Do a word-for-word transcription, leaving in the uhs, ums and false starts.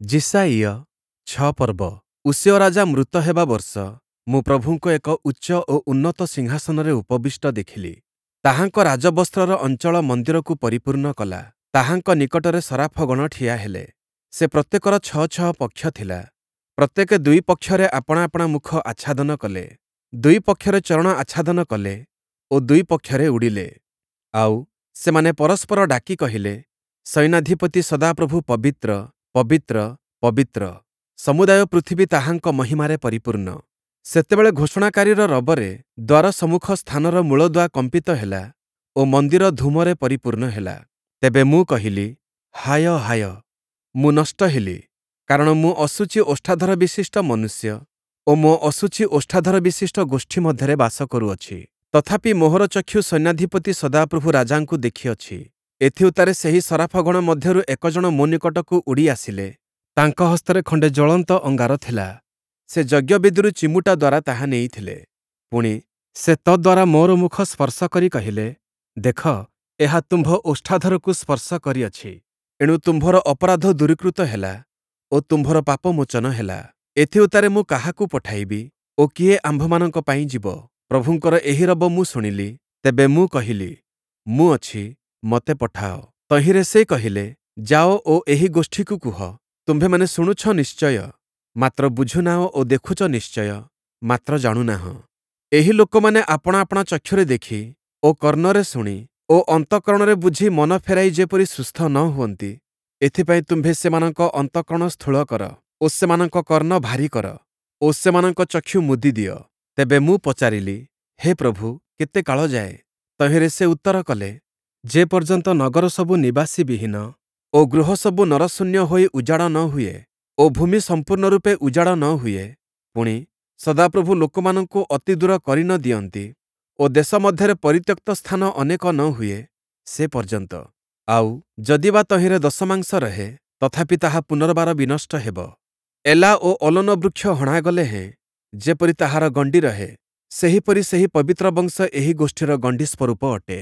ଯିଶାଇୟ ଛଅ ପର୍ବ ଉଷିୟ ରାଜା ମୃତ ହେବା ବର୍ଷ ମୁଁ ପ୍ରଭୁଙ୍କୁ ଏକ ଉଚ୍ଚ ଓ ଉନ୍ନତ ସିଂହାସନରେ ଉପବିଷ୍ଟ ଦେଖିଲି। ତାହାଙ୍କ ରାଜବସ୍ତ୍ରର ଅଞ୍ଚଳ ମନ୍ଦିରକୁ ପରିପୂର୍ଣ୍ଣ କଲା। ତାହାଙ୍କ ନିକଟରେ ସରାଫଗଣ ଠିଆ ହେଲେ। ସେ ପ୍ରତ୍ୟେକର ଛଅ ଛଅ ପକ୍ଷ ଥିଲା। ପ୍ରତ୍ୟେକେ ଦୁଇ ପକ୍ଷରେ ଆପଣା ଆପଣା ମୁଖ ଆଚ୍ଛାଦନ କଲେ। ଦୁଇ ପକ୍ଷରେ ଚରଣ ଆଚ୍ଛାଦନ କଲେ ଓ ଦୁଇ ପକ୍ଷରେ ଉଡ଼ିଲେ। ଆଉ ସେମାନେ ପରସ୍ପର ଡାକି କହିଲେ, ସୈନ୍ୟାଧିପତି ସଦାପ୍ରଭୁ ପବିତ୍ର, ପବିତ୍ର, ପବିତ୍ର। ସମୁଦାୟ ପୃଥିବୀ ତାହାଙ୍କ ମହିମାରେ ପରିପୂର୍ଣ୍ଣ। ସେତେବେଳେ ଘୋଷଣାକାରୀର ରବରେ ଦ୍ୱାର ସମ୍ମୁଖ ସ୍ଥାନର ମୂଳଦୁଆ କମ୍ପିତ ହେଲା ଓ ମନ୍ଦିର ଧୂମରେ ପରିପୂର୍ଣ୍ଣ ହେଲା। ତେବେ ମୁଁ କହିଲି, ହାୟ ହାୟ, ମୁଁ ନଷ୍ଟ ହେଲି, କାରଣ ମୁଁ ଅଶୁଚି ଓଷ୍ଠାଧର ବିଶିଷ୍ଟ ମନୁଷ୍ୟ ଓ ମୋ ଅଶୁଚି ଓଷ୍ଠାଧର ବିଶିଷ୍ଟ ଗୋଷ୍ଠୀ ମଧ୍ୟରେ ବାସ କରୁଅଛି। ତଥାପି ମୋହର ଚକ୍ଷୁ ସୈନ୍ୟାଧିପତି ସଦାପ୍ରଭୁ ରାଜାଙ୍କୁ ଦେଖିଅଛି। ଏଥିଉତ୍ତାରେ ସେହି ସରାଫଗଣ ମଧ୍ୟରୁ ଏକ ଜଣ ମୋ ନିକଟକୁ ଉଡ଼ି ଆସିଲେ। ତାଙ୍କ ହସ୍ତରେ ଖଣ୍ଡେ ଜ୍ୱଳନ୍ତ ଅଙ୍ଗାର ଥିଲା। ସେ ଯଜ୍ଞବେଦିରୁ ଚିମୁଟା ଦ୍ୱାରା ତାହା ନେଇଥିଲେ। ପୁଣି, ସେ ତଦ୍ଦ୍ୱାରା ମୋର ମୁଖ ସ୍ପର୍ଶ କରି କହିଲେ, ଦେଖ, ଏହା ତୁମ୍ଭ ଓଷ୍ଠାଧରକୁ ସ୍ପର୍ଶ କରିଅଛି। ଏଣୁ ତୁମ୍ଭର ଅପରାଧ ଦୂରୀକୃତ ହେଲା ଓ ତୁମ୍ଭର ପାପ ମୋଚନ ହେଲା। ଏଥିଉତ୍ତାରେ ମୁଁ କାହାକୁ ପଠାଇବି ଓ କିଏ ଆମ୍ଭମାନଙ୍କ ପାଇଁ ଯିବ? ପ୍ରଭୁଙ୍କର ଏହି ରବ ମୁଁ ଶୁଣିଲି। ତେବେ ମୁଁ କହିଲି, ମୁଁ ଅଛି, ମୋତେ ପଠାଅ। ତହିଁରେ ସେ କହିଲେ, ଯାଅ ଓ ଏହି ଗୋଷ୍ଠୀକୁ କୁହ, ତୁମ୍ଭେମାନେ ଶୁଣୁଛ ନିଶ୍ଚୟ, ମାତ୍ର ବୁଝୁନାହଁ ଓ ଦେଖୁଛ ନିଶ୍ଚୟ, ମାତ୍ର ଜାଣୁନାହଁ। ଏହି ଲୋକମାନେ ଆପଣା ଆପଣା ଚକ୍ଷୁରେ ଦେଖି ଓ କର୍ଣ୍ଣରେ ଶୁଣି ଓ ଅନ୍ତଃକରଣରେ ବୁଝି ମନ ଫେରାଇ ଯେପରି ସୁସ୍ଥ ନ ହୁଅନ୍ତି, ଏଥିପାଇଁ ତୁମ୍ଭେ ସେମାନଙ୍କ ଅନ୍ତଃକରଣ ସ୍ଥୂଳ କର ଓ ସେମାନଙ୍କ କର୍ଣ୍ଣ ଭାରୀ କର ଓ ସେମାନଙ୍କ ଚକ୍ଷୁ ମୁଦି ଦିଅ। ତେବେ ମୁଁ ପଚାରିଲି, ହେ ପ୍ରଭୁ, କେତେ କାଳ ଯାଏ? ତହିଁରେ ସେ ଉତ୍ତର କଲେ, ଯେ ପର୍ଯ୍ୟନ୍ତ ନଗର ସବୁ ନିବାସୀବିହୀନ ଓ ଗୃହ ସବୁ ନରଶୂନ୍ୟ ହୋଇ ଉଜାଡ଼ ନ ହୁଏ ଓ ଭୂମି ସମ୍ପୂର୍ଣ୍ଣ ରୂପେ ଉଜାଡ଼ ନ ହୁଏ, ପୁଣି, ସଦାପ୍ରଭୁ ଲୋକମାନଙ୍କୁ ଅତି ଦୂର କରି ନ ଦିଅନ୍ତି ଓ ଦେଶ ମଧ୍ୟରେ ପରିତ୍ୟକ୍ତ ସ୍ଥାନ ଅନେକ ନ ହୁଏ, ସେ ପର୍ଯ୍ୟନ୍ତ। ଆଉ, ଯଦି ବା ତହିଁରେ ଦଶମାଂଶ ରହେ, ତଥାପି ତାହା ପୁନର୍ବାର ବିନଷ୍ଟ ହେବ। ଏଲା ଓ ଅଲୋନ ବୃକ୍ଷ ହଣାଗଲେ ହେଁ ଯେପରି ତାହାର ଗଣ୍ଡି ରହେ, ସେହିପରି ସେହି ପବିତ୍ର ବଂଶ ଏହି ଗୋଷ୍ଠୀର ଗଣ୍ଡି ସ୍ୱରୂପ ଅଟେ।